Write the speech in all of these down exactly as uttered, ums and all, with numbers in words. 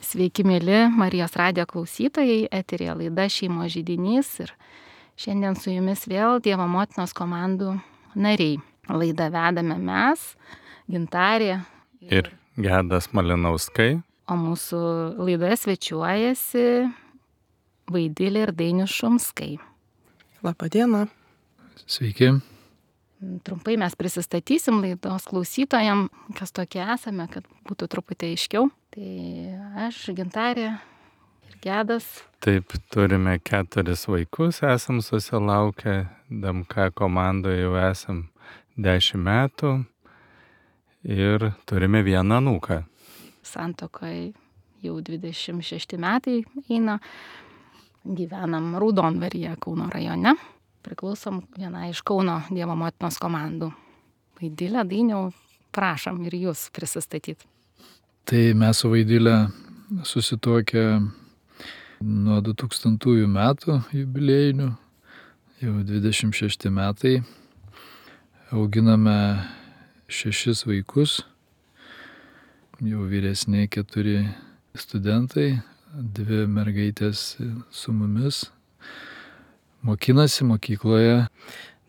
Sveiki, mėly Marijos radijo klausytojai, eteryje laida Šeimos židinys ir šiandien su jumis vėl Dievo motinos komandų nariai. Laidą vedame mes, Gintarė ir Gedas Malinauskai. O mūsų laidoje svečiuojasi Vaidilė ir Dainius Šumskai. Labą dieną. Sveiki. Trumpai mes prisistatysim laidos klausytojam, kas tokie esame, kad būtų truputį aiškiau. Tai aš, Gintarė ir Gedas. Taip, turime keturis vaikus, esam susilaukę, D M K komandoje jau esam dešimt metų ir turime vieną anūką. Santuokoje jau dvidešimt šešti metai eina, gyvenam Raudonvaryje, Kauno rajone. Priklausom vienai iš Kauno Dievo motinos komandų. Vaidilė, Dainiau, prašom ir jūs prisistatyti. Tai mes su Vaidilė susituokę nuo du tūkstantųjų metų jubiliejinių, jau dvidešimt šešti metai. Auginame šešis vaikus, jau vyresni keturi studentai, dvi mergaitės su mumis. Mokinasi mokykloje.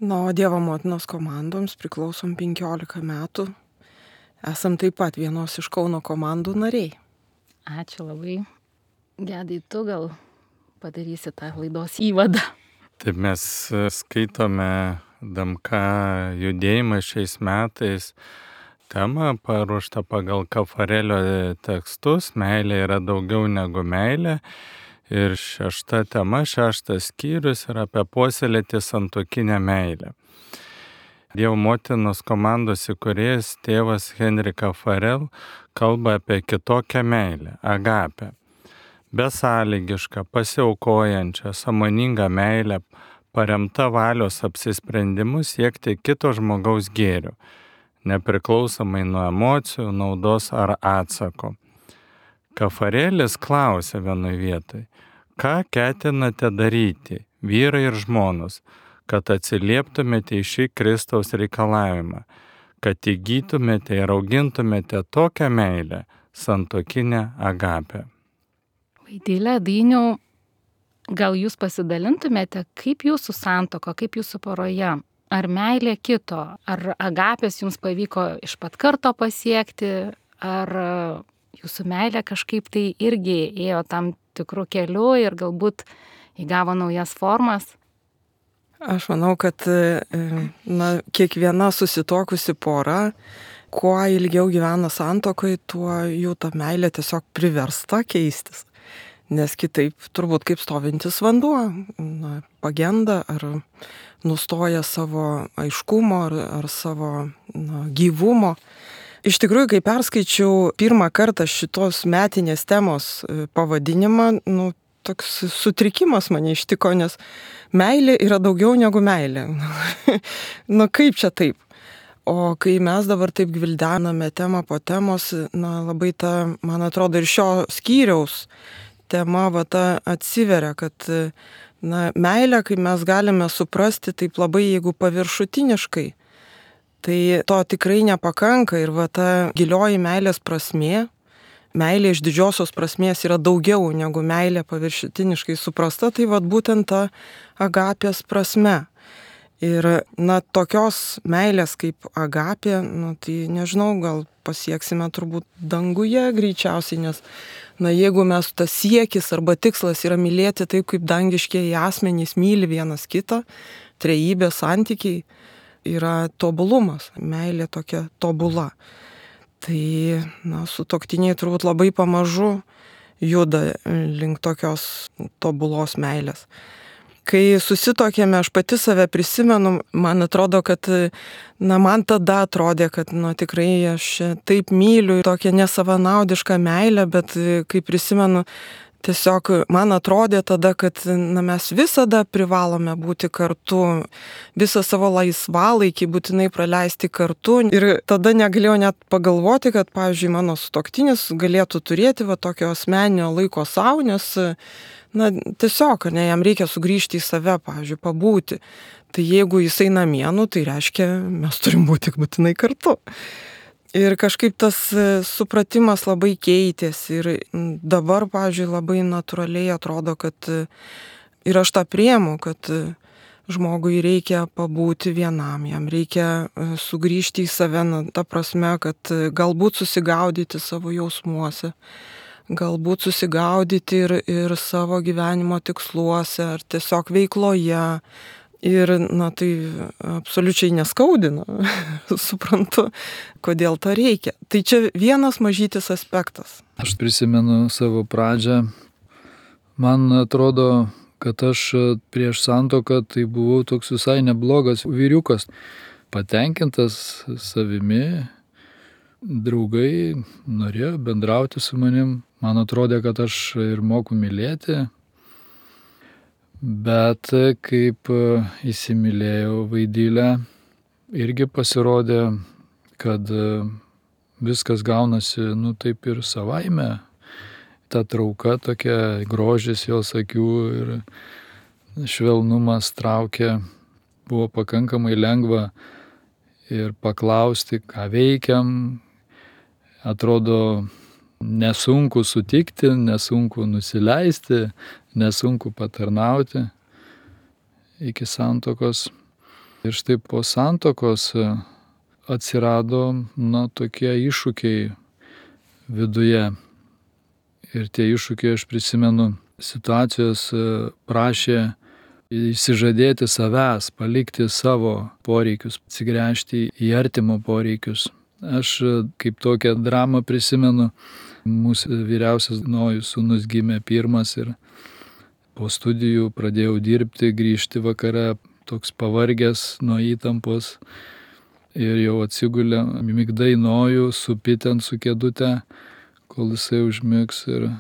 Na, o Dievo motinos komandoms priklausom penkiolika metų. Esam taip pat vienos iš Kauno komandų nariai. Ačiū labai. Gedai, tu gal padarysi tą laidos įvadą. Taip, mes skaitome D M K judėjimą šiais metais. Tema paruošta pagal Kafarelio tekstus. Meilė yra daugiau negu meilė. Ir šešta tema, šeštas skyrius yra apie puoselėti santuokinę meilę. Dievo motinos komandos įkūrėjas tėvas Henrika Farel kalba apie kitokią meilę, agapę. Besąlygišką, pasiaukojančią, sąmoningą meilę, paremta valios apsisprendimu siekti kito žmogaus gėrio, nepriklausomai nuo emocijų, naudos ar atsako. Kafarelis klausė vienoje vietoje, ką ketinate daryti, vyrai ir žmonos, kad atsilieptumėte į šį Kristaus reikalavimą, kad įgytumėte ir augintumėte tokią meilę, santuokinę agapę. Vaidilė, Dainiau, gal jūs pasidalintumėte, kaip jūsų santuoka, kaip jūsų poroje, ar meilė kito, ar agapės jums pavyko iš pat karto pasiekti, ar jūsų meilė kažkaip tai irgi ėjo tam tikrų kelių ir galbūt įgavo naujas formas? Aš manau, kad na, kiekviena susituokusi pora, kuo ilgiau gyvena santuokoje, tuo jų ta meilė tiesiog priversta keistis. Nes kitaip turbūt kaip stovintis vanduo, na, pagenda ar nustoja savo aiškumo ar, ar savo na, gyvumo. Iš tikrųjų, kai perskaičiau pirmą kartą šitos metinės temos pavadinimą, nu, toks sutrikimas mane ištiko, nes meilė yra daugiau negu meilė. Nu, kaip čia taip? O kai mes dabar taip gvildename temą po temos, na, labai ta, man atrodo, ir šio skyriaus tema va ta atsiveria, kad na, meilė, kai mes galime suprasti taip labai, jeigu paviršutiniškai, tai to tikrai nepakanka ir va ta gilioji meilės prasmė, meilė iš didžiosios prasmės yra daugiau negu meilė paviršutiniškai suprasta, tai va būtent ta agapės prasme. Ir na, tokios meilės kaip agapė, nu, tai nežinau, gal pasieksime turbūt danguje greičiausiai, nes na, jeigu mes tas siekis arba tikslas yra mylėti taip, kaip dangiškieji asmenys myli vienas kitą, trejybės santykiai, yra tobulumas, meilė tokia tobula. Tai, na, sutuoktiniai turbūt labai pamažu juda link tokios tobulos meilės. Kai susituokėme, aš pati save prisimenu, man atrodo, kad, na, man tada atrodė, kad, na, tikrai aš taip myliu tokią nesavanaudišką meilę, bet kai prisimenu, tiesiog man atrodė tada, kad na, mes visada privalome būti kartu, visą savo laisvalaikį būtinai praleisti kartu. Ir tada negalėjau net pagalvoti, kad, pavyzdžiui, mano sutuoktinis galėtų turėti va, tokio asmeninio laiko savo, nes na, tiesiog ne, jam reikia sugrįžti į save, pavyzdžiui, pabūti. Tai jeigu jisai namie, nu, tai reiškia, mes turim būti būtinai kartu. Ir kažkaip tas supratimas labai keitėsi. Ir dabar, pavyzdžiui, labai natūraliai atrodo, kad ir aš tą priemu, kad žmogui reikia pabūti vienam, jam reikia sugrįžti į save, na, ta prasme, kad galbūt susigaudyti savo jausmuose, galbūt susigaudyti ir, ir savo gyvenimo tiksluose, ar tiesiog veikloje. Ir, na, tai absoliučiai neskaudina, suprantu, kodėl to reikia. Tai čia vienas mažytis aspektas. Aš prisimenu savo pradžią. Man atrodo, kad aš prieš santuoką tai buvau toks visai neblogas vyriukas, patenkintas savimi, draugai norėjo bendrauti su manim, man atrodė, kad aš ir moku mylėti, bet kaip įsimylėjau Vaidilę, irgi pasirodė, kad viskas gaunasi, nu, taip ir savaime. Ta trauka tokia, grožis jos akių ir švelnumas traukė, buvo pakankamai lengva ir paklausti, ką veikiam. Atrodo, nesunku sutikti, nesunku nusileisti, nesunku patarnauti iki santuokos. Ir štai po santuokos atsirado, na, tokie iššūkiai viduje. Ir tie iššūkiai, aš prisimenu, situacijos prašė išsižadėti savęs, palikti savo poreikius, atsigręžti į artimo poreikius. Aš kaip tokią dramą prisimenu, mūsų vyriausias Nojus sūnus gimė pirmas ir po studijų pradėjau dirbti, grįžti vakare, toks pavargęs nuo įtampos ir jau atsigulė migdai Nojų, supi ten su kėdute, kol jisai užmigs ir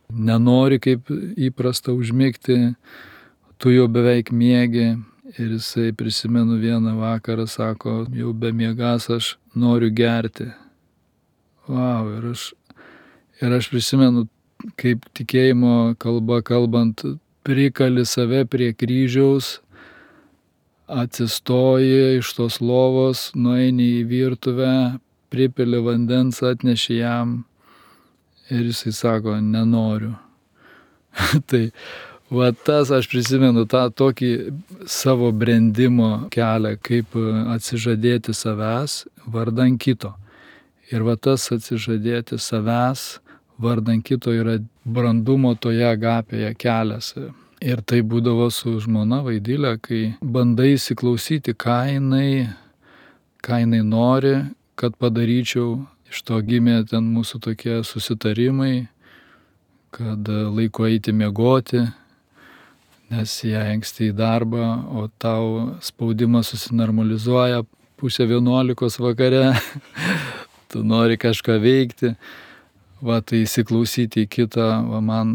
nenori kaip įprasta užmigti, tu jau beveik miegi ir jisai, prisimenu, vieną vakarą sako, jau be miegas aš noriu gerti. Vau, ir aš, ir aš prisimenu, kaip tikėjimo kalba kalbant, prikali save prie kryžiaus, atsistoji iš tos lovos, nueini į virtuvę, pripili vandens, atneši jam. Ir jisai sako, nenoriu. Tai va tas, aš prisimenu tą tokį savo brendimo kelią, kaip atsižadėti savęs vardan kito. Ir va tas atsižadėti savęs vardan kito yra brandumo toje agapėje kelias. Ir tai būdavo su žmona Vaidilė, kai bandai įsiklausyti, ką jinai, ką jinai nori, kad padaryčiau. Iš to gimė ten mūsų tokie susitarimai, kad laiku eiti miegoti, nes jie anksti į darbą, o tau spaudimas susinormalizuoja pusę vienuolikos vakare, tu nori kažką veikti. Va, tai įsiklausyti į kitą, va, man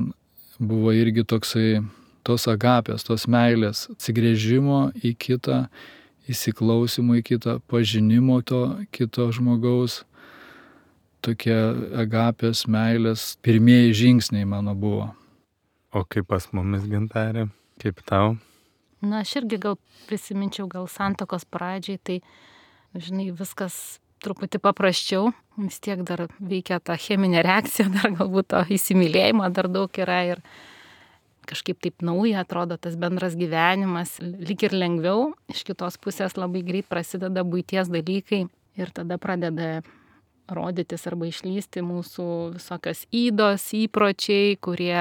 buvo irgi toksai tos agapės, tos meilės, atsigręžimo į kitą, įsiklausimo į kitą, pažinimo to kito žmogaus. Tokie agapės, meilės, pirmieji žingsniai mano buvo. O kaip pas mumis, Gintarė, kaip tau? Na, aš irgi gal prisiminčiau gal santuokos pradžiai, tai, žinai, viskas truputį paprasčiau, vis tiek dar veikia ta cheminė reakcija, dar galbūt to įsimylėjimo dar daug yra ir kažkaip taip nauja atrodo tas bendras gyvenimas, lyg ir lengviau, iš kitos pusės labai greit prasideda buities dalykai ir tada pradeda rodytis arba išlysti mūsų visokios ydos, įpročiai, kurie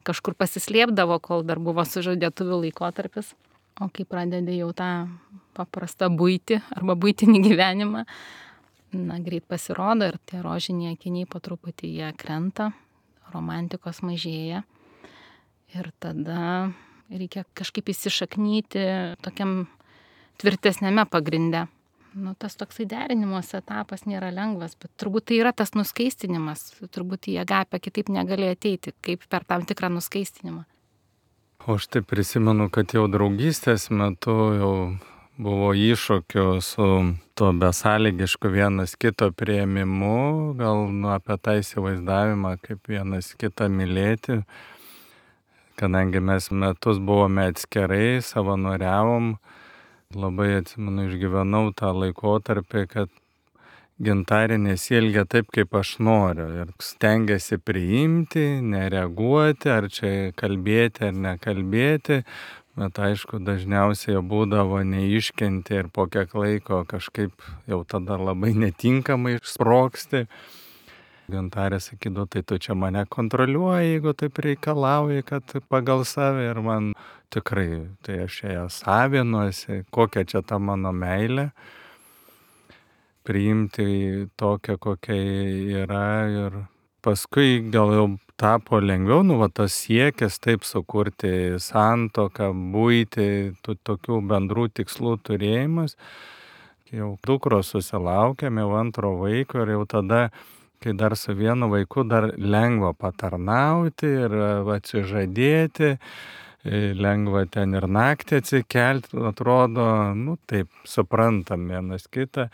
kažkur pasislėpdavo, kol dar buvo sužadėtuvių laikotarpis. O kai pradedi jau tą paprastą buitį arba buitinį gyvenimą, na, greit pasirodo ir tie rožiniai akiniai po truputį jie krenta, romantikos mažėja. Ir tada reikia kažkaip įsišaknyti tokiam tvirtesnėme pagrinde. Nu, tas toksai derinimas etapas nėra lengvas, bet turbūt tai yra tas nuskaistinimas, turbūt į agapę kitaip negali ateiti, kaip per tam tikrą nuskaistinimą. O aš tai prisimenu, kad jau draugystės metu jau buvo iššūkių su to besąlygišku vienas kito priėmimu, gal nu, apie tą įsivaizdavimą, kaip vienas kitą mylėti, kadangi mes metus buvome atskirai, savanoriavom. Labai atsimenu, išgyvenau tą laikotarpį, kad Gintarė nesielgia taip, kaip aš noriu ir stengiasi priimti, nereaguoti, ar čia kalbėti ar nekalbėti, bet aišku, dažniausiai jau būdavo neiškenti ir po kiek laiko kažkaip jau tada labai netinkamai sprogsti. Gintarė sakydavo, tai tu čia mane kontroliuoji, jeigu taip reikalauji, kad pagal save, ir man tikrai, tai aš ją savinuosi, kokia čia ta mano meilė, priimti tokią, kokia yra, ir paskui gal jau tapo lengviau, nu, va, tas siekis taip sukurti santuoką, būti, tų tokių bendrų tikslų turėjimas. Jau dukros susilaukėme, jau antro vaiko, ir jau tada, kai dar su vienu vaiku, dar lengva patarnauti ir atsižadėti, lengva ten ir naktį atsikelti, atrodo, nu taip, suprantam vienas kitą,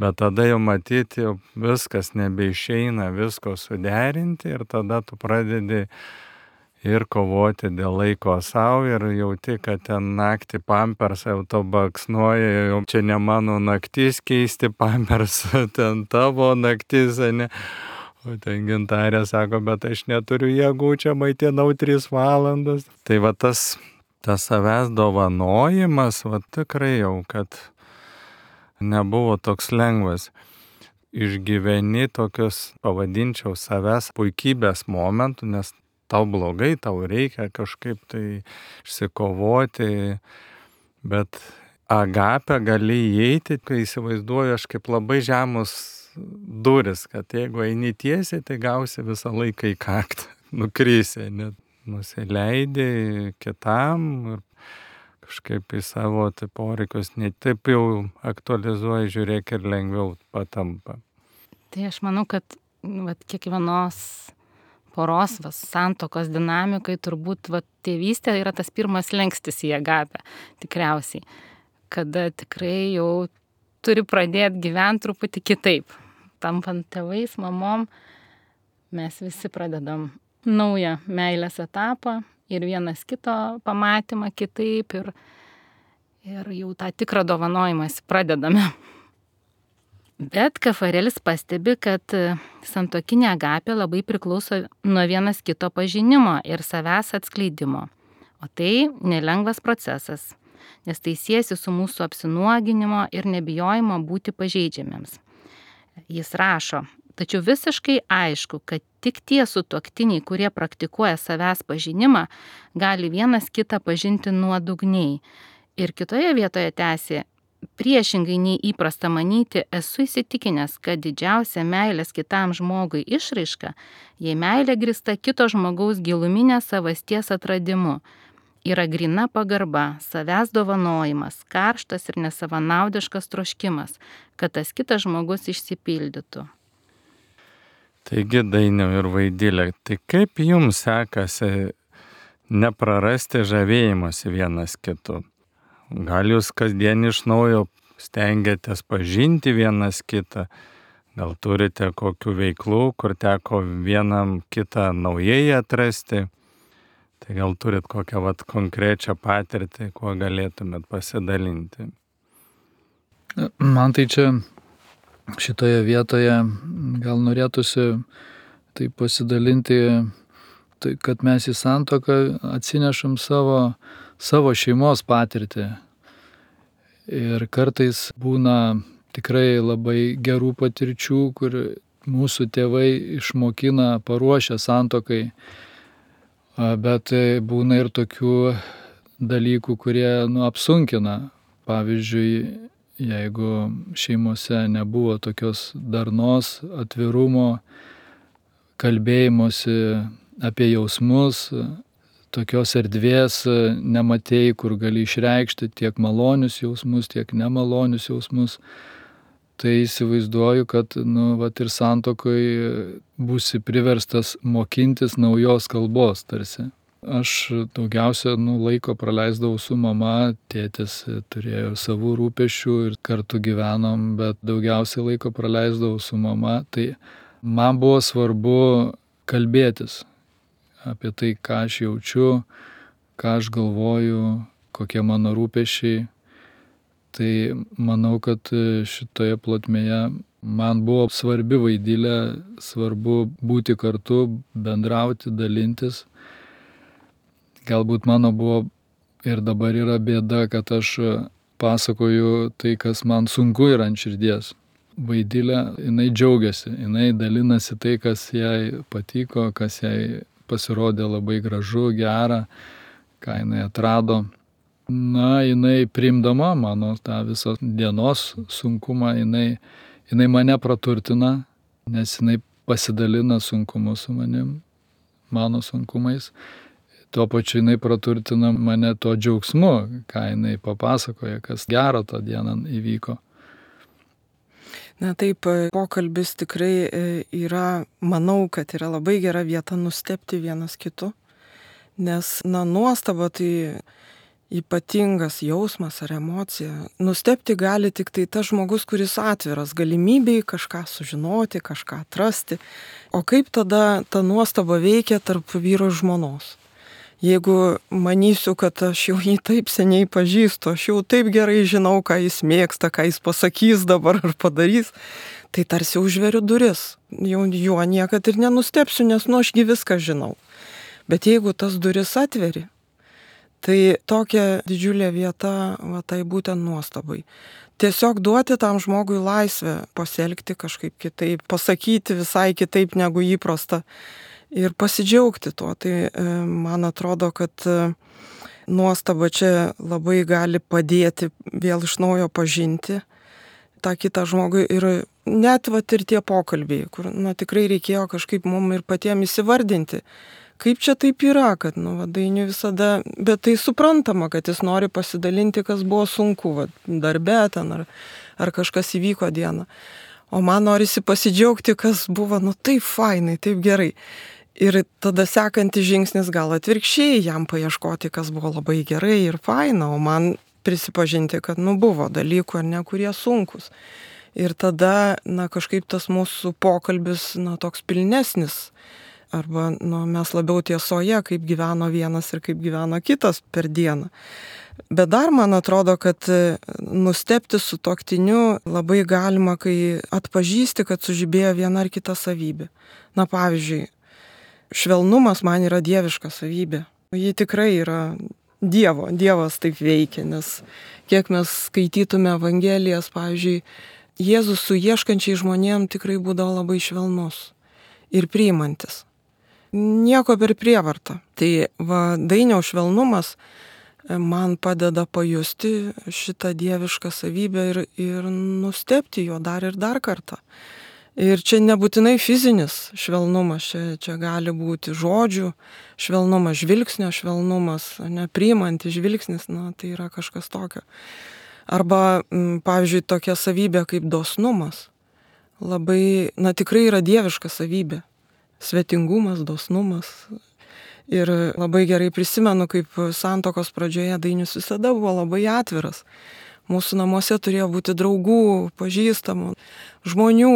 bet tada jau matyti, jau viskas nebeišeina visko suderinti, ir tada tu pradedi ir kovoti dėl laiko savo, ir jauti, kad ten naktį pampersą jau to baksnuoja, jau čia ne mano naktis keisti pampersą, ten tavo naktis, ne? O ten Gintarė sako, bet aš neturiu jėgų, čia maitinau tris valandas. Tai va tas, tas savęs dovanojimas, va tikrai jau, kad nebuvo toks lengvas. Išgyveni tokius, pavadinčiau, savęs puikybės momentų, nes tau blogai, tau reikia kažkaip tai išsikovoti, bet agapę gali įeiti, kai įsivaizduoju aš kaip labai žemus duris, kad jeigu eini tiesiai, tai gausi visą laiką į kaktą, nukrysi, net nusileidai kitam ir kažkaip į savo tai poreikius ne taip jau aktualizuoji, žiūrėk, ir lengviau patampa. Tai aš manau, kad vat, kiekvienos poros vas, santokos dinamikai turbūt vat, tėvystė yra tas pirmas lengstis į agapę, tikriausiai, kada tikrai jau turi pradėti gyventi truputį kitaip. Tampant tėvais, mamom, mes visi pradedam naują meilės etapą ir vienas kito pamatymą kitaip, ir, ir jau tą tikrą dovanojimąsi pradedame. Bet Kafarelis pastebi, kad santuokinė agapė labai priklauso nuo vienas kito pažinimo ir savęs atskleidimo. O tai nelengvas procesas, nes tai siejasi su mūsų apsinuoginimo ir nebijojimo būti pažeidžiamiems. Jis rašo, tačiau visiškai aišku, kad tik tie sutuoktiniai, kurie praktikuoja savęs pažinimą, gali vienas kitą pažinti nuodugniai. Ir kitoje vietoje tęsė, priešingai nei įprasta manyti, esu įsitikinęs, kad didžiausia meilės kitam žmogui išraiška, jei meilė grįsta kito žmogaus giluminė savasties atradimu, yra grina pagarba, savęs dovanojimas, karštas ir nesavanaudiškas troškimas, kad tas kitas žmogus išsipildytų. Taigi, Dainiau ir Vaidilė, tai kaip jums sekasi neprarasti žavėjimosi vienas kitu? Gal jūs kasdien iš naujo stengiatės pažinti vienas kitą? Gal turite kokių veiklų, kur teko vienam kitą naujai atrasti? Tai gal turit kokią vat konkrečią patirtį, kuo galėtumėt pasidalinti? Man tai čia šitoje vietoje gal norėtųsi tai pasidalinti, tai kad mes į santuoką atsinešam savo savo šeimos patirtį. Ir kartais būna tikrai labai gerų patirčių, kur mūsų tėvai išmokina, paruošia santuokai, bet būna ir tokių dalykų, kurie nu, apsunkina. Pavyzdžiui, jeigu šeimose nebuvo tokios darnos, atvirumo, kalbėjimosi apie jausmus, tokios erdvės nematėjai, kur gali išreikšti tiek malonius jausmus, tiek nemalonius jausmus, tai įsivaizduoju, kad nu, vat ir santuokoj būsi priverstas mokintis naujos kalbos tarsi. Aš daugiausia nu, laiko praleisdavau su mama, tėtis turėjo savų rūpesčių ir kartu gyvenom, bet daugiausia laiko praleisdavau su mama, tai man buvo svarbu kalbėtis apie tai, ką aš jaučiu, ką aš galvoju, kokie mano rūpesčiai. Tai manau, kad šitoje plotmėje Man buvo svarbi Vaidilė, svarbu būti kartu, bendrauti, dalintis. Galbūt mano buvo ir dabar yra bėda, kad aš pasakoju tai, kas man sunku yra ant širdies. Vaidilė, jinai džiaugiasi, jinai dalinasi tai, kas jai patiko, kas jai pasirodė labai gražu, gera, ką jinai atrado. Na, jinai priimdama mano tą visą dienos sunkumą, jinai, jinai mane praturtina, nes jinai pasidalina sunkumu su manim, mano sunkumais. Tuo pačiu jinai praturtina mane to džiaugsmu, ką jinai papasakoja, kas gero tą dieną įvyko. Na taip, pokalbis tikrai yra, manau, kad yra labai gera vieta nustebti vienas kitu, nes, na, nuostaba tai ypatingas jausmas ar emocija. Nustebti gali tik tai tas žmogus, kuris atviras galimybei kažką sužinoti, kažką atrasti. O kaip tada ta nuostaba veikia tarp vyro ir žmonos? Jeigu manysiu, kad aš jau jį taip seniai pažįstu, aš jau taip gerai žinau, ką jis mėgsta, ką jis pasakys dabar ar padarys, tai tarsi užveriu duris. Jau juo niekad ir nenustepsiu, nes nu ašgi viską žinau. Bet jeigu tas duris atveri, tai tokia didžiulė vieta, va, tai būtent nuostabai. Tiesiog duoti tam žmogui laisvę pasielgti kažkaip kitaip, pasakyti visai kitaip negu įprasta. Ir pasidžiaugti tuo. Tai man atrodo, kad nuostaba čia labai gali padėti vėl iš naujo pažinti tą kitą žmogų. Ir net vat ir tie pokalbiai, kur nu, tikrai reikėjo kažkaip mum ir patiems įsivardinti, kaip čia taip yra, kad nu, va, Dainiui visada, bet tai suprantama, kad jis nori pasidalinti, kas buvo sunku, va, darbe ten ar, ar kažkas įvyko dieną. O man norisi pasidžiaugti, kas buvo, nu taip fainai, taip gerai. Ir tada sekantis žingsnis gal atvirkščiai, jam paieškoti, kas buvo labai gerai ir faina, o man prisipažinti, kad nu buvo dalykų ar ne, kurie sunkus. Ir tada, na, kažkaip tas mūsų pokalbis, na, toks pilnesnis. Arba, nu, mes labiau tiesoje, kaip gyveno vienas ir kaip gyveno kitas per dieną. Bet dar man atrodo, kad nustebti sutuoktiniu labai galima, kai atpažįsti, kad sužibėjo viena ar kita savybė. Na, pavyzdžiui, švelnumas man yra dieviška savybė. Ji tikrai yra Dievo, Dievas taip veikia, nes kiek mes skaitytume Evangelijas, pavyzdžiui, Jėzus su ieškančiai žmonėm tikrai būdavo labai švelnus ir priimantis. Nieko per prievartą. Tai va, Dainiaus švelnumas man padeda pajusti šitą dievišką savybę ir, ir nustebti jo dar ir dar kartą. Ir čia nebūtinai fizinis švelnumas, čia, čia gali būti žodžių švelnumas, žvilgsnio švelnumas, nepriimantis žvilgsnis, na, tai yra kažkas tokio. Arba, pavyzdžiui, tokia savybė kaip dosnumas. Labai, na, tikrai yra dieviška savybė. Svetingumas, dosnumas. Ir labai gerai prisimenu, kaip santuokos pradžioje Dainius visada buvo labai atviras. Mūsų namuose turėjo būti draugų, pažįstamų, žmonių.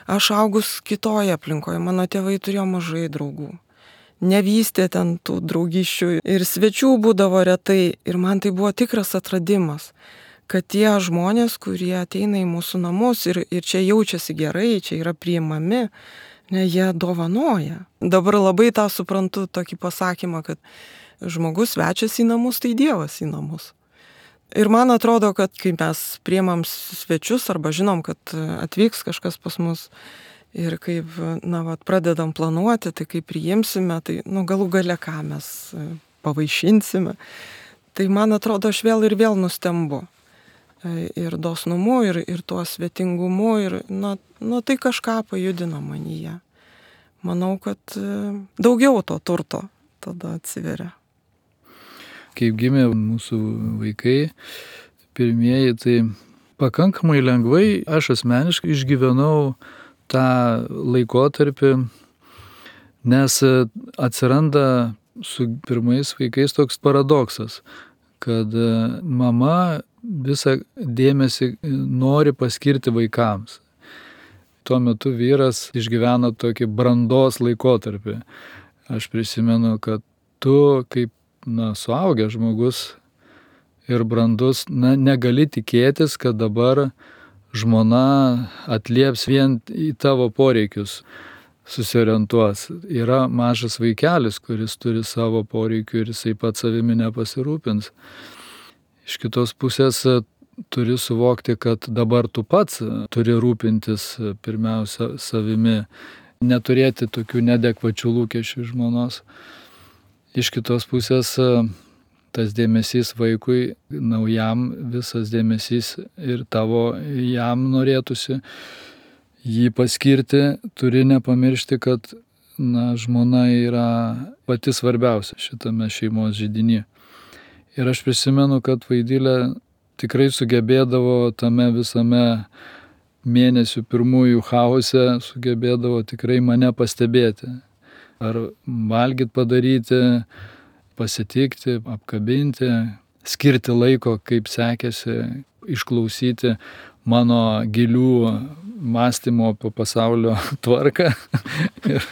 Aš augus kitoje aplinkoje, mano tėvai turėjo mažai draugų. Nevystė ten tų draugyščių ir svečių būdavo retai. Ir man tai buvo tikras atradimas, kad tie žmonės, kurie ateina į mūsų namus ir, ir čia jaučiasi gerai, čia yra priimami, ne, jie dovanoja. Dabar labai tą suprantu, tokį pasakymą, kad žmogus svečias į namus, tai Dievas į namus. Ir man atrodo, kad kai mes priimam svečius arba žinom, kad atvyks kažkas pas mus ir kaip, na, vat, pradedam planuoti, tai kaip priimsime, tai, nu, galų gale ką mes pavaišinsime. Tai man atrodo, aš vėl ir vėl nustembu. Ir dosnumu, ir, ir tuo svetingumu, ir, na, nu, tai kažką pajudino manyje. Manau, kad daugiau to turto tada atsiveria. Kaip gimė mūsų vaikai, pirmieji, tai pakankamai lengvai aš asmeniškai išgyvenau tą laikotarpį, nes atsiranda su pirmais vaikais toks paradoksas, kad mama visą dėmesį nori paskirti vaikams. Tuo metu vyras išgyveno tokį brandos laikotarpį. Aš prisimenu, kad tu kaip na, suaugęs žmogus ir brandus, na, negali tikėtis, kad dabar žmona atlieps vien į tavo poreikius, susiorientuos. Yra mažas vaikelis, kuris turi savo poreikių ir jisai pats savimi nepasirūpins. Iš kitos pusės turi suvokti, kad dabar tu pats turi rūpintis pirmiausia savimi, neturėti tokių neadekvačių lūkesčių žmonos. Iš kitos pusės tas dėmesys vaikui naujam, visas dėmesys ir tavo jam norėtųsi jį paskirti, turi nepamiršti, kad na, žmona yra pati svarbiausia šitame šeimos židiny. Ir aš prisimenu, kad Vaidilė tikrai sugebėdavo tame visame mėnesių pirmųjų chaose, sugebėdavo tikrai mane pastebėti. Ar valgyt padaryti, pasitikti, apkabinti, skirti laiko, kaip sekėsi, išklausyti mano gilių mąstymo apie pasaulio tvarką. Ir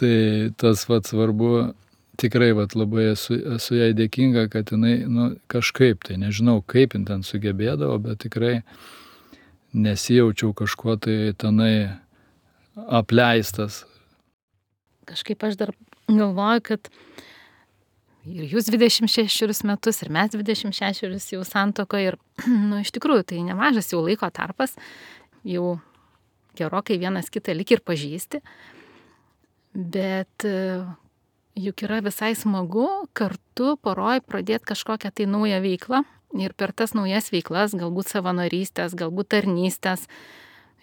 tai tas vat svarbu. Tikrai vat, labai esu, esu jai dėkinga, kad jinai nu, kažkaip, tai nežinau kaip jin ten sugebėdavo, bet tikrai nesijaučiau kažkuo tai tenai apleistas. Kažkaip aš dar galvoju, kad ir jūs dvidešimt šešerius metus, ir mes dvidešimt šešerius jau santuokoje, ir nu, iš tikrųjų tai nemažas jau laiko tarpas, jau gerokai vienas kitą lyg ir pažįsti, bet juk yra visai smagu kartu poroj pradėti kažkokią tai naują veiklą ir per tas naujas veiklas, galbūt savanorystės, galbūt tarnystės,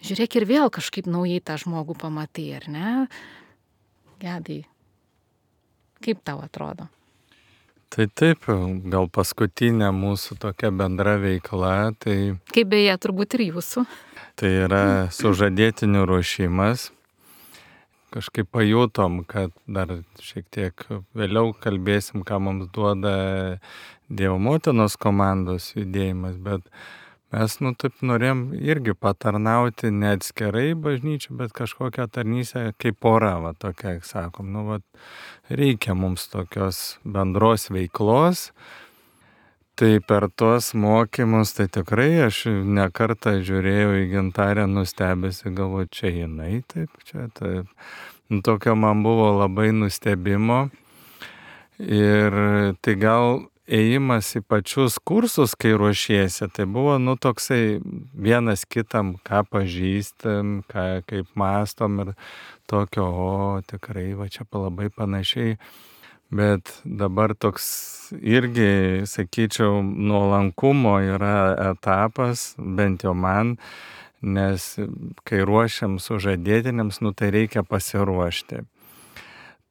žiūrėk ir vėl kažkaip naujai tą žmogų pamatai, ar ne? Gedai, kaip tau atrodo? Tai taip, gal paskutinė mūsų tokia bendra veikla, tai... Kaip beje, turbūt ir jūsų. Tai yra sužadėtinių ruošimas. Kažkaip pajutom, kad dar šiek tiek vėliau kalbėsim, ką mums duoda Dievo motinos komandos judėjimas, bet mes, nu, taip norėjom irgi patarnauti ne atskirai bažnyčių, bet kažkokią tarnystę kaip pora, va, tokia, sakom, nu, va, reikia mums tokios bendros veiklos. Tai per tuos mokymus, tai tikrai aš ne kartą žiūrėjau į Gintarę nustebęs, galvoju, čia jinai, taip, čia taip. Nu, tokio man buvo labai nustebimo. Ir tai gal ėjimas į pačius kursus, kai ruošiesi, tai buvo, nu, toksai vienas kitam, ką pažįstam, ką, kaip mąstom ir tokio, o tikrai, va čia labai panašiai. Bet dabar toks irgi, sakyčiau, nuolankumo yra etapas, bent jau man, nes kai ruošiam sužadėtiniams, nu tai reikia pasiruošti.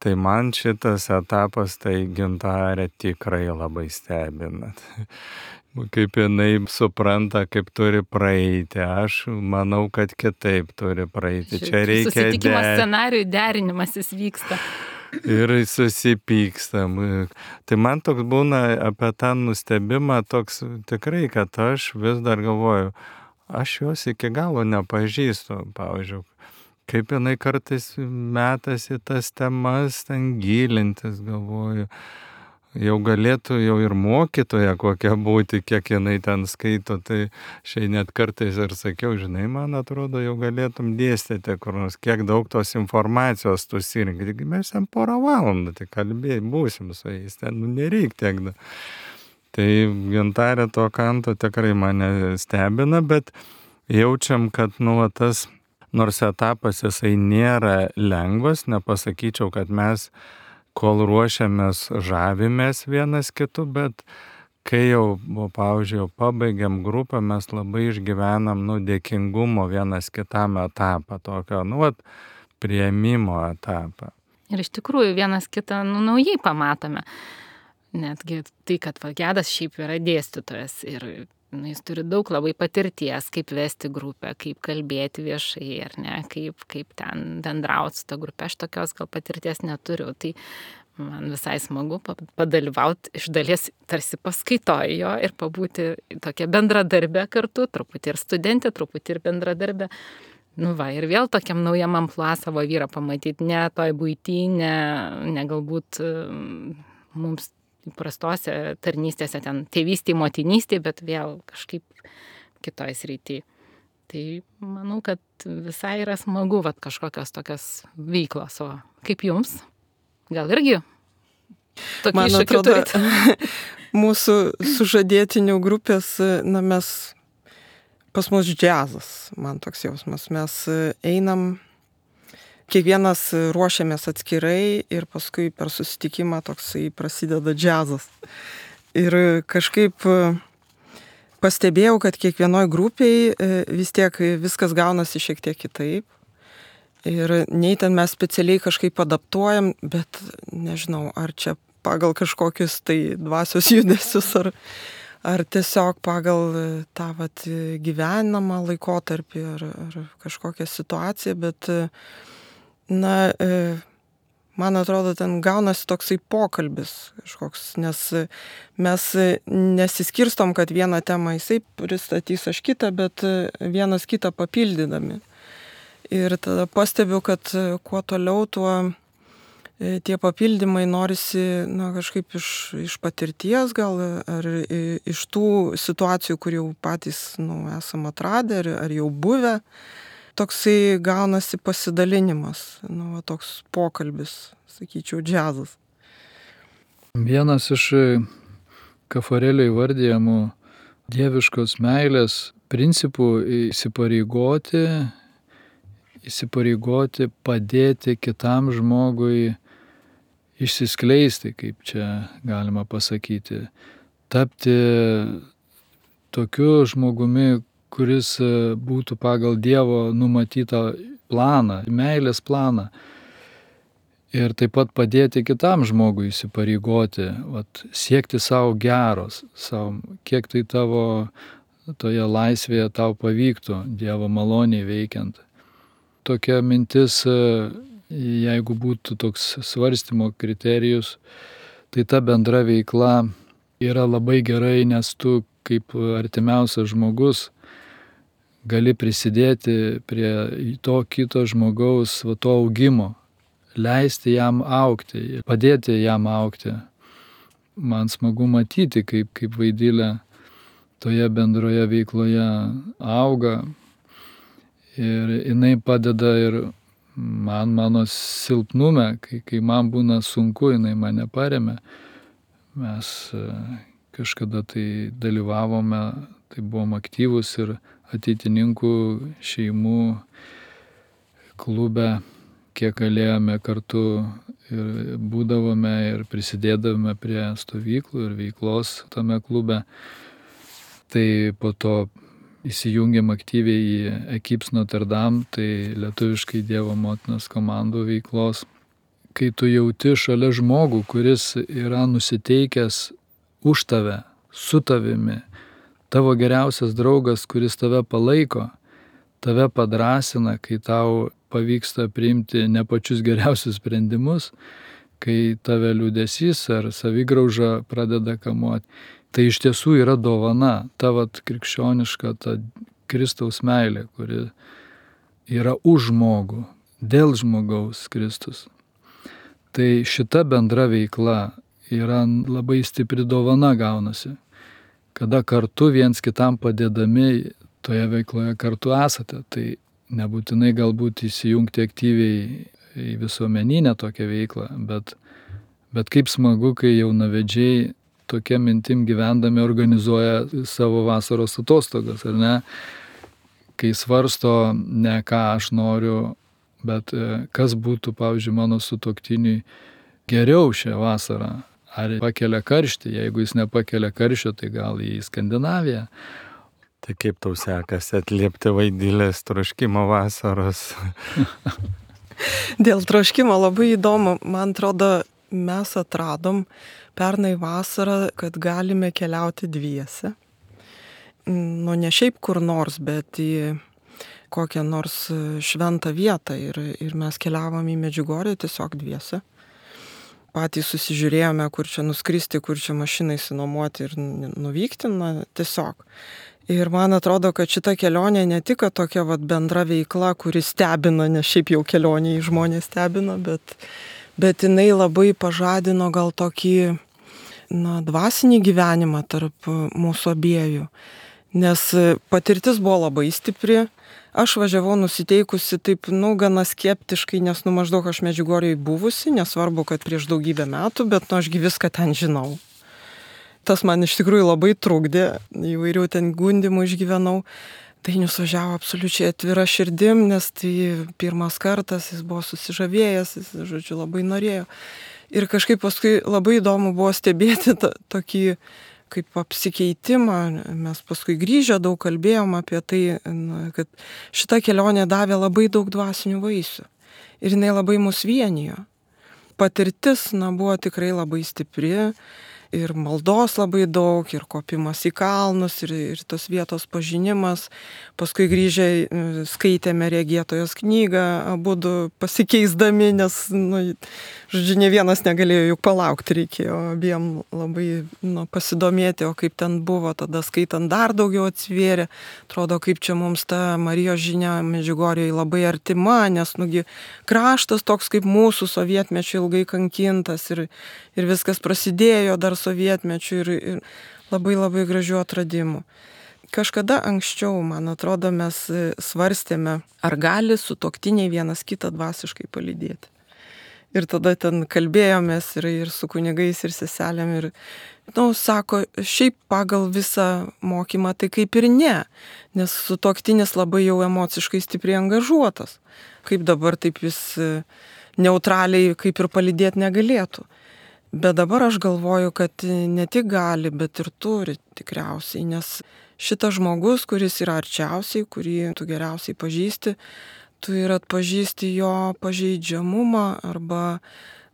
Tai man šitas etapas, tai Gintarė tikrai labai stebina. Kaip jinai supranta, kaip turi praeiti. Aš manau, kad kitaip turi praeiti. Čia reikia... Susitikimo scenarijų derinimasis vyksta. Ir susipykstam. Tai man toks būna apie tą nustebimą toks tikrai, kad aš vis dar galvoju, aš jos iki galo nepažįstu, pavyzdžiui, kaip jinai kartais metasi tas temas ten gilintis, galvoju. Jau galėtų jau ir mokytoja kokia būti, kiek jinai ten skaito, tai šiai net kartais ir sakiau, žinai, man atrodo, jau galėtum dėstyti, kur nors, kiek daug tos informacijos tu surinkti. Mes ten porą valandų tai kalbėjai, būsim su jais, ten nu, nereik tiek. Da. Tai Gintarė to kanto tikrai mane stebina, bet jaučiam, kad nu, tas nors etapas jisai nėra lengvas, nepasakyčiau, kad mes kol ruošiamės, žavimės vienas kitu, bet kai jau, pavyzdžiui, jau pabaigiam grupą, mes labai išgyvenam, nu, dėkingumo vienas kitam etapą, tokio, nu, vat, priėmimo etapą. Ir iš tikrųjų vienas kitą, nu, naujai pamatome. Netgi tai, kad Gedas šiaip yra dėstytojas ir nu, jis turi daug labai patirties, kaip vesti grupę, kaip kalbėti viešai, ar ne, kaip, kaip ten bendrauti su ta grupė. Aš tokios gal patirties neturiu, tai man visai smagu padalyvauti iš dalies tarsi paskaitojo ir pabūti tokia bendradarbė kartu, truputį ir studentė, truputį ir bendradarbė. Nu va, ir vėl tokiam naujam amplua savo vyrą pamatyti, ne toj buity, ne, ne galbūt mums įprastose tarnystėse, ten tėvystėje, motinystėje, bet vėl kažkaip kitoj srity. Tai manau, kad visai yra smagu vat, kažkokios tokios veiklos. O kaip jums? Gal irgi? Tokį Man iššūkį atrodo, turit? mūsų sužadėtinių grupės, na mes, pas mus džiazas, man toks jausmas. Mes einam, kiekvienas ruošiamės atskirai ir paskui per susitikimą toksai prasideda džiazas. Ir kažkaip pastebėjau, kad kiekvienoj grupiai vis tiek viskas gaunasi šiek tiek kitaip. Ir nei ten mes specialiai kažkaip adaptuojam, bet nežinau, ar čia pagal kažkokius tai dvasios judesius, ar, ar tiesiog pagal tą vat, gyvenamą laikotarpį, ar, ar kažkokią situaciją, bet na, man atrodo, ten gaunasi toksai pokalbis kažkoks, nes mes nesiskirstom, kad vieną temą jisai pristatys, aš kitą, bet vienas kitą papildydami. Ir tada pastebiu, kad kuo toliau, tuo tie papildymai norisi na, kažkaip iš, iš patirties gal, ar iš tų situacijų, kur jau patys nu, esam atradę, ar, ar jau buvę. Toksai gaunasi pasidalinimas, nu, va, toks pokalbis, sakyčiau, džiazas. Vienas iš Kafarelio įvardyjamų dieviškos meilės principų įsipareigoti, įsipareigoti padėti kitam žmogui išsiskleisti, kaip čia galima pasakyti, tapti tokiu žmogumi, kuris būtų pagal Dievo numatytą planą, meilės planą. Ir taip pat padėti kitam žmogui įsipareigoti, vat, siekti savo geros, savo, kiek tai tavo toje laisvėje tau pavyktų, Dievo maloniai veikiant. Tokia mintis, jeigu būtų toks svarstymo kriterijus, tai ta bendra veikla yra labai gerai, nes tu kaip artimiausias žmogus gali prisidėti prie to kito žmogaus va, to augimo, leisti jam augti, padėti jam augti. Man smagu matyti, kaip, kaip Vaidilė toje bendroje veikloje auga ir jinai padeda ir man mano silpnume, kai, kai man būna sunku, jinai mane paremia. Mes kažkada tai dalyvavome, tai buvom aktyvus ir ateitininkų šeimų klube, kiek galėjome kartu ir būdavome ir prisidėdavome prie stovyklų ir veiklos tame klube. Tai po to įsijungėm aktyviai į Equips Notre Dame, tai lietuviškai Dievo motinos komandų veiklos. Kai tu jauti šalia žmogų, kuris yra nusiteikęs už tave, su tavimi, tavo geriausias draugas, kuris tave palaiko, tave padrasina, kai tau pavyksta priimti ne pačius geriausius sprendimus, kai tave liūdesys ar savigrauža pradeda kamuoti. Tai iš tiesų yra dovana, tavo krikščioniška, ta Kristaus meilė, kuri yra už žmogų, dėl žmogaus Kristus. Tai šita bendra veikla yra labai stipri dovana gaunasi. Kada kartu viens kitam padėdami toje veikloje kartu esate, tai nebūtinai galbūt įsijungti aktyviai į visuomeninę tokią veiklą, bet, bet kaip smagu, kai jaunavedžiai tokia mintim gyvendami organizuoja savo vasaros atostogas, ar ne? Kai svarsto ne ką aš noriu, bet kas būtų, pavyzdžiui, mano sutuoktiniui geriau šią vasarą. Ar pakelia karštį, jeigu jis nepakelia karščio, tai gal į Skandinaviją. Tai kaip tau sekasi atliepti Vaidilės troškimo vasaros? Dėl troškimo labai įdomu. Man atrodo, mes atradom pernai vasarą, kad galime keliauti dviese. Nu, ne šiaip kur nors, bet į kokią nors šventą vietą. Ir, ir mes keliavom į Medžiugorję tiesiog dviese. Patys susižiūrėjome, kur čia nuskristi, kur čia mašinai sinuomoti ir nuvykti, na, tiesiog. Ir man atrodo, kad šita kelionė ne tik tokia vat, bendra veikla, kuri stebina, nes šiaip jau kelionė į žmonės stebina, bet, bet jinai labai pažadino gal tokį na, dvasinį gyvenimą tarp mūsų abiejų. Nes patirtis buvo labai stipri. Aš važiavau nusiteikusi taip, nu, gana skeptiškai, nes, nu, maždaug aš Medžiugorjėj buvusi, nesvarbu, kad prieš daugybę metų, bet, nu, ašgi viską ten žinau. Tas man iš tikrųjų labai trukdė, įvairių ten gundimų išgyvenau. Dainius važiavo absoliučiai atvira širdim, nes tai pirmas kartas, jis buvo susižavėjęs, jis, žodžiu, labai norėjo. Ir kažkaip paskui labai įdomu buvo stebėti tą, tokį kaip apsikeitimą. Mes paskui grįžę daug kalbėjom apie tai, na, kad šita kelionė davė labai daug dvasinių vaisių. Ir jinai labai mus vienijo. Patirtis, na, buvo tikrai labai stipri. Ir maldos labai daug, ir kopimas į kalnus, ir, ir tos vietos pažinimas. Paskui grįžę skaitėme regėtojos knygą, abudu pasikeisdami, nes, nu, žodžiu, ne vienas negalėjo juk palaukti, reikėjo abiem labai, nu, pasidomėti, o kaip ten buvo, tada skaitant dar daugiau atsivėrė. Atrodo, kaip čia mums ta Marijos žinia Medžiugorjėj labai artima, nes, nugi, kraštas toks kaip mūsų sovietmečiu ilgai kankintas ir, ir viskas prasidėjo dar sovietmečių ir, ir labai labai gražių atradimų. Kažkada anksčiau, man atrodo, mes svarstėme, ar gali sutuoktiniai vienas kitą dvasiškai palydėti. Ir tada ten kalbėjomės ir, ir su kunigais, ir seselėm. Ir, nu, sako, šiaip pagal visą mokymą tai kaip ir ne, nes sutuoktinis labai jau emociškai stipriai angažuotas. Kaip dabar taip jis neutraliai kaip ir palydėti negalėtų. Bet dabar aš galvoju, kad ne tik gali, bet ir turi tikriausiai, nes šitas žmogus, kuris yra arčiausiai, kurį tu geriausiai pažįsti, tu ir atpažįsti jo pažeidžiamumą arba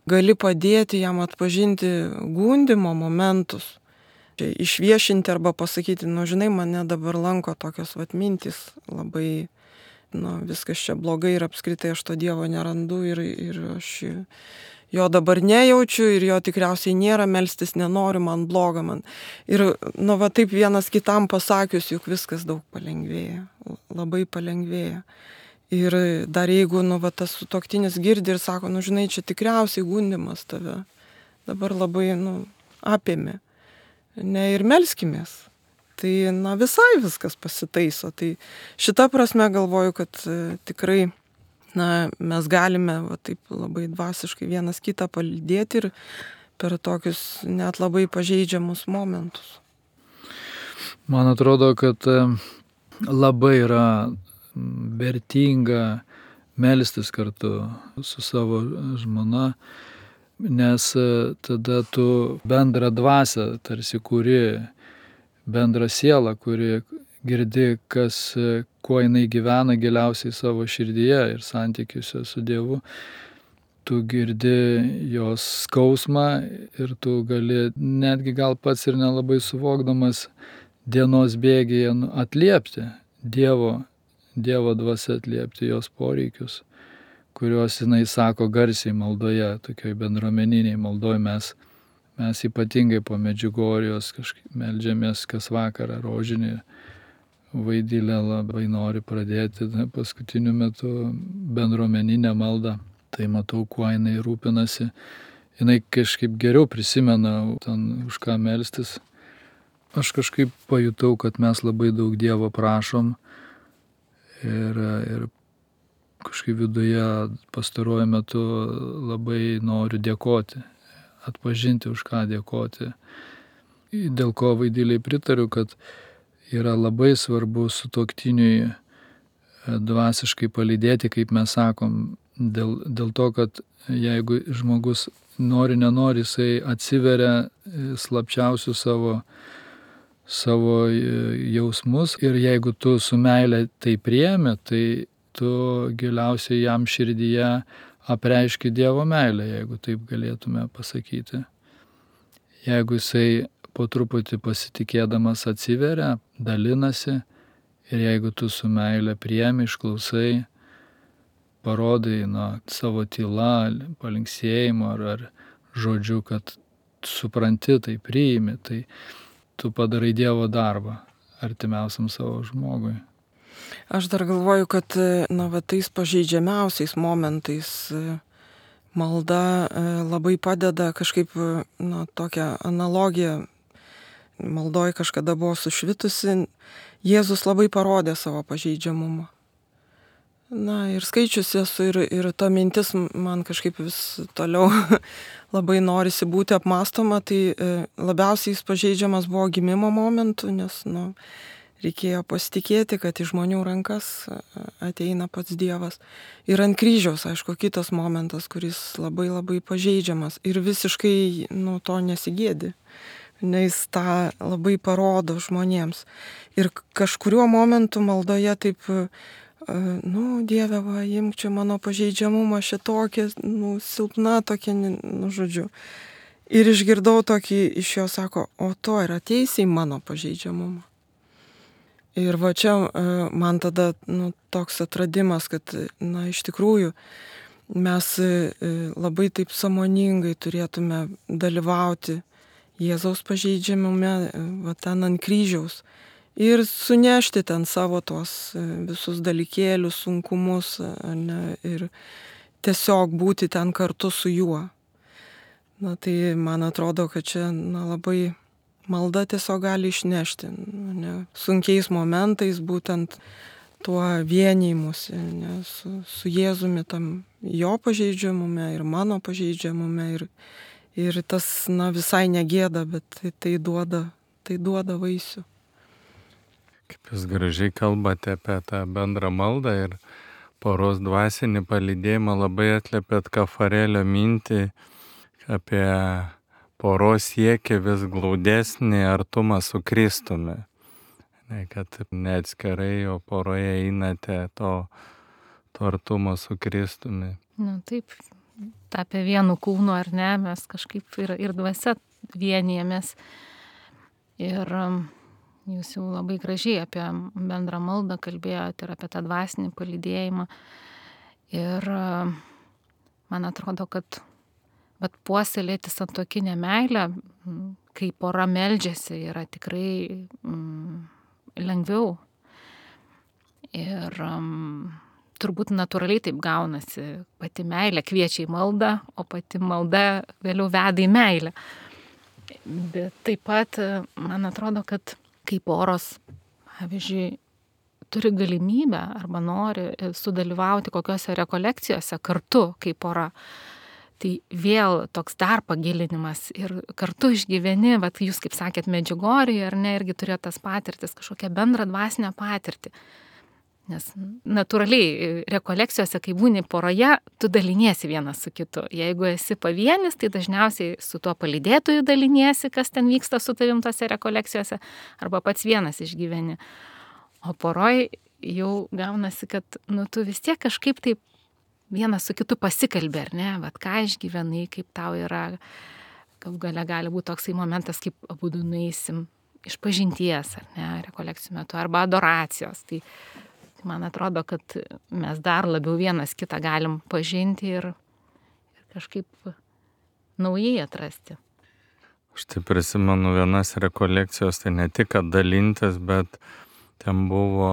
gali padėti jam atpažinti gundimo momentus. Išviešinti arba pasakyti, nu žinai, mane dabar lanko tokios vat mintys labai, nu viskas čia blogai ir apskritai aš to Dievo nerandu ir, ir aš jo dabar nejaučiu ir jo tikriausiai nėra, melstis nenoriu, man bloga man. Ir, nu, va taip vienas kitam pasakius, juk viskas daug palengvėja, labai palengvėja. Ir dar jeigu, nu, va tas sutuoktinis girdi ir sako, nu, žinai, čia tikriausiai gundimas tave, dabar labai, nu, apėmė, ne, ir melskimės. Tai, na, visai viskas pasitaiso. Tai šita prasme galvoju, kad e, tikrai na, mes galime va, taip labai dvasiškai vienas kitą palydėti ir per tokius net labai pažeidžiamus momentus. Man atrodo, kad labai yra vertinga melstis kartu su savo žmona, nes tada tu bendrą dvasią tarsi kuri, bendrą sielą, kuri girdi, kas, kuo jinai gyvena giliausiai savo širdyje ir santykiuose su Dievu. Tu girdi jos skausmą ir tu gali netgi gal pats ir nelabai suvokdamas dienos bėgyje atliepti Dievo, Dievo dvasia atliepti jos poreikius, kuriuos jinai sako garsiai maldoje, tokioj bendruomeniniai maldoje mes, mes ypatingai po Medžiugorjos kažkaip meldžiamės kas vakarą rožinį. Vaidilė labai nori pradėti paskutiniu metu bendruomeninę maldą. Tai matau, kuo jinai rūpinasi. Jinai kažkaip geriau prisimena, ten už ką melstis. Aš kažkaip pajutau, kad mes labai daug Dievo prašom ir, ir kažkaip viduje pastaruoju metu labai noriu dėkoti, atpažinti, už ką dėkoti. Dėl ko Vaidiliai pritariu, kad yra labai svarbu sutuoktiniui dvasiškai palydėti, kaip mes sakom, dėl, dėl to, kad jeigu žmogus nori, nenori, jisai atsiveria slapčiausių savo, savo jausmus ir jeigu tu su meile tai priemi, tai tu giliausiai jam širdyje apreiški Dievo meilę, jeigu taip galėtume pasakyti. Jeigu jisai po truputį pasitikėdamas atsiveria, dalinasi ir jeigu tu su meile priemi, išklausai, parodai na, savo tyla, palinksėjimu ar, ar žodžiu, kad supranti, tai priimi, tai tu padarai Dievo darbą artimiausiam savo žmogui. Aš dar galvoju, kad na, va, tais pažeidžiamiausiais momentais malda labai padeda kažkaip, na, tokią analogiją maldoj kažkada buvo sušvitusi, Jėzus labai parodė savo pažeidžiamumą. Na ir skaičius esu ir, ir ta mintis man kažkaip vis toliau labai norisi būti apmastoma, tai labiausiai jis pažeidžiamas buvo gimimo momentu, nes nu, reikėjo pasitikėti, kad į žmonių rankas ateina pats Dievas. Ir ant kryžiaus, aišku, kitas momentas, kuris labai labai pažeidžiamas ir visiškai nu, to nesigėdi. Nes tą labai parodo žmonėms. Ir kažkuriuo momentu maldoje taip, nu, Dieve, va, imk čia mano pažeidžiamumą, šitokia, nu, silpna tokia, nu, žodžiu. Ir išgirdau tokį iš jo, sako, o to ir ateisi į mano pažeidžiamumą. Ir va čia man tada nu, toks atradimas, kad, na, iš tikrųjų mes labai taip sąmoningai turėtume dalyvauti Jėzaus pažeidžiamume, va ten ant kryžiaus. Ir sunešti ten savo tos visus dalykėlius, sunkumus, ne, ir tiesiog būti ten kartu su juo. Na tai man atrodo, kad čia na, labai malda tiesiog gali išnešti. Ne, sunkiais momentais būtent tuo vienijimusi, ne, su, su Jėzumi tam jo pažeidžiamume ir mano pažeidžiamume. Ir, ir tas na, visai negėda, bet tai, tai, duoda, tai duoda vaisių. Kaip jūs gražiai kalbate apie tą bendrą maldą ir poros dvasinį palydėjimą, labai atliepėt Kafarėlio mintį apie poros siekį vis glaudesnį artumą su Kristumi. Ne, kad ne atskirai, o poroje einate to, to artumo su Kristumi. Nu, taip, tapę vienu kūnu ar ne, mes kažkaip ir, ir dvasia vienijamės. Ir jūs jau labai gražiai apie bendrą maldą kalbėjote ir apie tą dvasinį palydėjimą. Ir man atrodo, kad bet puoselėti santuokinę meilę, kai pora meldžiasi, yra tikrai mm, lengviau. Ir um, turbūt natūraliai taip gaunasi. Pati meilė kviečia į maldą, o pati malda vėliau veda į meilę. Bet taip pat man atrodo, kad kai poros, pavyzdžiui, turi galimybę arba nori sudalyvauti kokiose rekolekcijose kartu kaip pora, tai vėl toks dar pagilinimas ir kartu išgyveni, vat jūs kaip sakėt, Medžiugorjėje ar ne, irgi turėjo tas patirtis, kažkokią bendrą dvasinę patirtį. Nes natūraliai rekolekcijose, kai būni poroje, tu daliniesi vienas su kitu. Jeigu esi pavienis, tai dažniausiai su tuo palydėtoju daliniesi, kas ten vyksta su tavim tose rekolekcijose, arba pats vienas išgyveni. O poroj jau gaunasi, kad nu, tu vis tiek kažkaip taip vienas su kitu pasikalbė, ar ne, vat ką išgyvenai, kaip tau yra, gal galia gali būti toksai momentas, kaip abudu nueisim iš pažinties, ar ne, rekolekcijų metu, arba adoracijos. Tai man atrodo, kad mes dar labiau vienas kitą galim pažinti ir, ir kažkaip naujai atrasti. Aš tai prisimenu vienas rekolekcijos, tai ne tik kad dalintis, bet ten buvo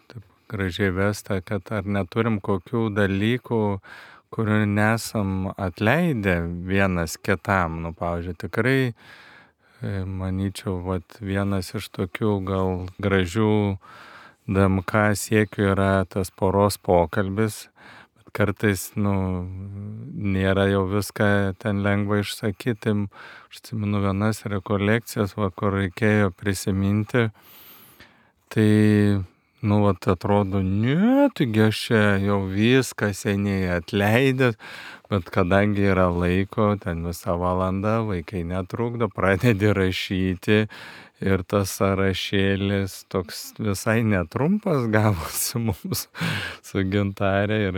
taip gražiai vesta, kad ar neturim kokių dalykų, kurių nesam atleidę vienas kitam. Nu, pavyzdžiui, tikrai, manyčiau, vat, vienas iš tokių gal gražių D M K siekių yra tas poros pokalbis, bet kartais, nu, nėra jau viską ten lengva išsakyti. Aš atsimenu vienas rekolekcijas, va, kur reikėjo prisiminti, tai, nu, vat, atrodo, ne, taigi aš čia jau viską seniai atleidęs, bet kadangi yra laiko, ten visą valandą, vaikai netrukdo, pradedi rašyti. Ir tas sąrašėlis toks visai netrumpas gavosi mums su Gintarė. Ir,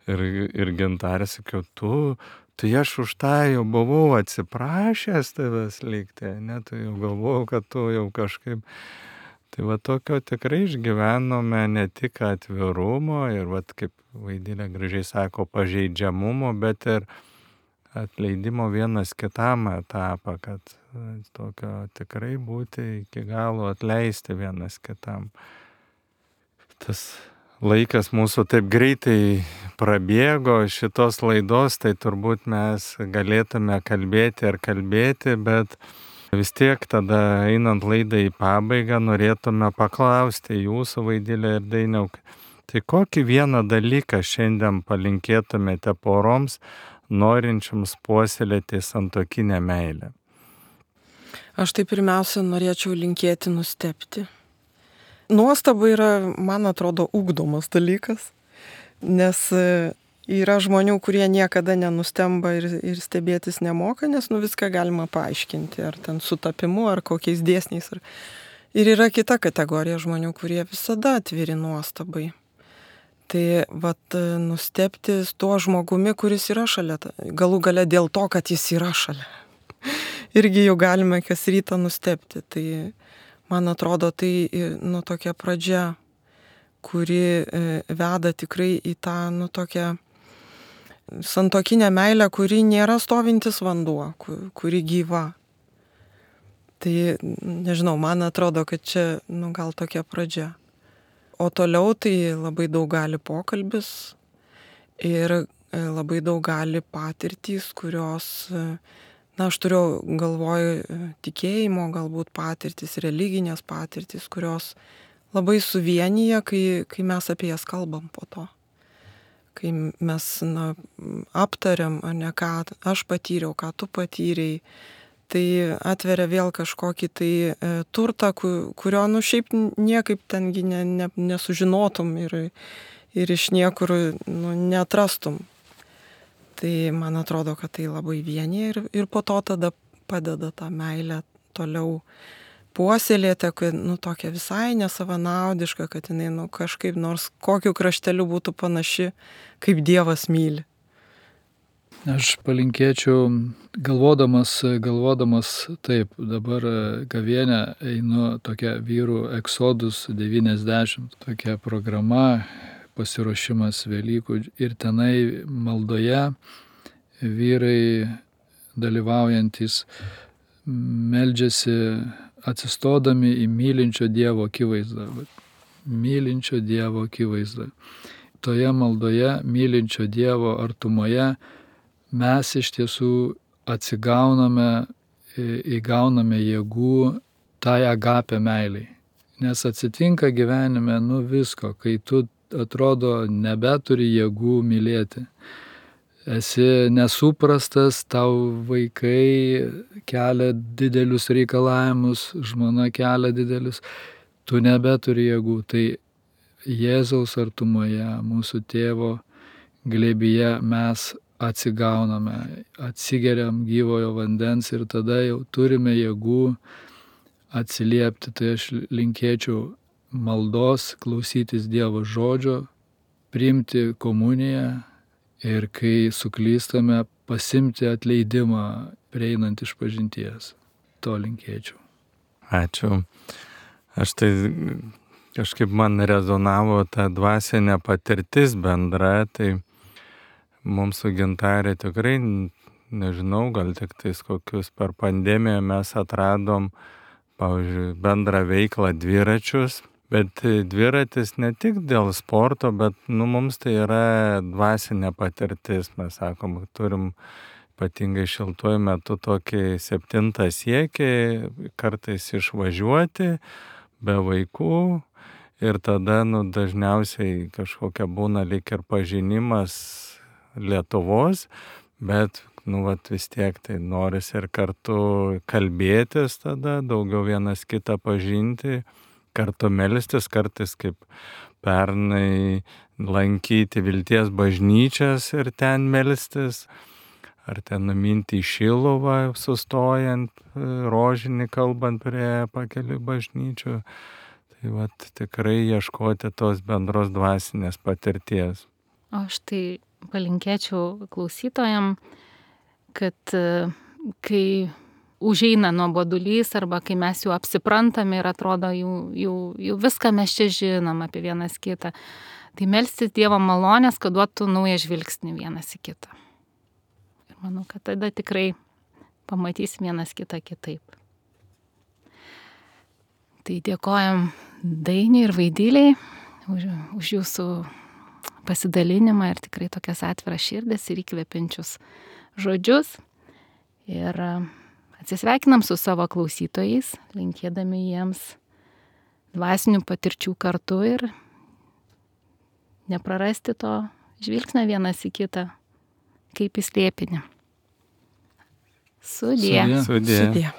ir, ir Gintarė sakiau, tu, tai aš už tą jau buvau atsiprašęs tavęs likti, ne, tu jau galvojau, kad tu jau kažkaip. Tai va tokio tikrai išgyvenome ne tik atvirumo ir va kaip Vaidilė gražiai sako, pažeidžiamumo, bet ir atleidimo vienas kitam etapą, kad tokio tikrai būti iki galo atleisti vienas kitam. Tas laikas mūsų taip greitai prabėgo šitos laidos, tai turbūt mes galėtume kalbėti ir kalbėti, bet Vis tiek tada einant laidą į pabaigą norėtume paklausti jūsų, Vaidilė ir Dainiau, tai kokį vieną dalyką šiandien palinkėtumėte poroms, norinčiams puoselėti santuokinę meilę? Aš tai pirmiausia norėčiau linkėti nustebti. Nuostaba yra, man atrodo, ugdomas dalykas, nes yra žmonių, kurie niekada nenustemba ir, ir stebėtis nemoka, nes nu viską galima paaiškinti, ar ten sutapimu, ar kokiais dėsniais. Ar... Ir yra kita kategorija žmonių, kurie visada atviri nuostabai. Tai vat nustebti tuo žmogumi, kuris yra šalia, galų gale dėl to, kad jis yra šalia. Irgi jau galime kas rytą nustebti. Tai man atrodo, tai nu tokia pradžia, kuri veda tikrai į tą nu tokią santuokinę meilę, kuri nėra stovintis vanduo, kuri gyva. Tai nežinau, man atrodo, kad čia nu gal tokia pradžia. O toliau tai labai daug gali pokalbis ir labai daug gali patirtys, kurios, na, aš turiu galvoj tikėjimo, galbūt patirtys, religinės patirtys, kurios labai suvienyje, kai, kai mes apie jas kalbam po to. Kai mes na, aptariam, ar ne, ką aš patyriau, ką tu patyrei, tai atveria vėl kažkokį tai e, turtą, kurio, nu, šiaip niekaip tengi ne, ne, nesužinotum ir, ir iš niekur nu, neatrastum. Tai man atrodo, kad tai labai vienyje ir, ir po to tada padeda tą meilę toliau puoselėti, kad nu, tokia visai nesavanaudiška, kad jinai nu, kažkaip nors kokiu krašteliu būtų panaši, kaip Dievas myli. Aš palinkėčiau, galvodamas, galvodamas taip, dabar gavėnę einu tokia vyrų Exodus devyniasdešimt, tokia programa, pasiruošimas Velykų ir tenai maldoje vyrai dalyvaujantis meldžiasi atsistodami į mylinčio Dievo akivaizdą. Mylinčio Dievo akivaizdą. Toje maldoje, mylinčio Dievo artumoje mes iš tiesų atsigauname, įgauname jėgų tai agapė meiliai. Nes atsitinka gyvenime nu visko, kai tu atrodo nebeturi jėgų mylėti. Esi nesuprastas, tau vaikai kelia didelius reikalavimus, žmona kelia didelius, tu nebeturi jėgų. Tai Jėzaus artumoje, mūsų tėvo glėbyje mes atsigauname, atsigeriam gyvojo vandens ir tada jau turime jėgų atsiliepti. Tai aš linkėčiau maldos, klausytis Dievo žodžio, priimti komuniją ir kai suklystame, pasimti atleidimą prieinant iš pažinties. To linkėčiau. Ačiū. Aš tai kažkaip man rezonavo ta dvasinė patirtis bendra, tai mums su Gintarė tikrai, nežinau, gal tik tais kokius per pandemiją mes atradom, pavyzdžiui, bendrą veiklą dviračius. Bet dviratis ne tik dėl sporto, bet nu, mums tai yra dvasinė patirtis. Mes sakom, turim ypatingai šiltuoju metu tokį septintą siekį, kartais išvažiuoti be vaikų ir tada nu, dažniausiai kažkokia būna lyg ir pažinimas Lietuvos, bet nu, vat, vis tiek tai norisi ir kartu kalbėtis tada, daugiau vienas kitą pažinti, kartu melstis, kartais kaip pernai lankyti Vilties bažnyčias ir ten melstis, ar ten numinti į Šiluvą, sustojant rožinį, kalbant prie pakelių bažnyčių. Tai vat, tikrai ieškoti tos bendros dvasinės patirties. O aš tai palinkėčiau klausytojam, kad kai užeina nuobodulys arba kai mes jau apsiprantame ir atrodo, jau, jau, jau viską mes čia žinom apie vienas kitą, tai melstis Dievo malonės, kad duotų naują žvilgsnį vienas į kitą. Ir manau, kad tada tikrai pamatysim vienas kitą kitaip. Tai dėkojam Dainiui ir Vaidiliai už, už jūsų pasidalinimą ir tikrai tokias atviras širdis ir įkvepiančius žodžius. Ir Atsisveikinam su savo klausytojais, linkėdami jiems dvasinių patirčių kartu ir neprarasti to žvilgsnio vienas į kitą, kaip į slėpinį. Sudie. Sudie. Sudie.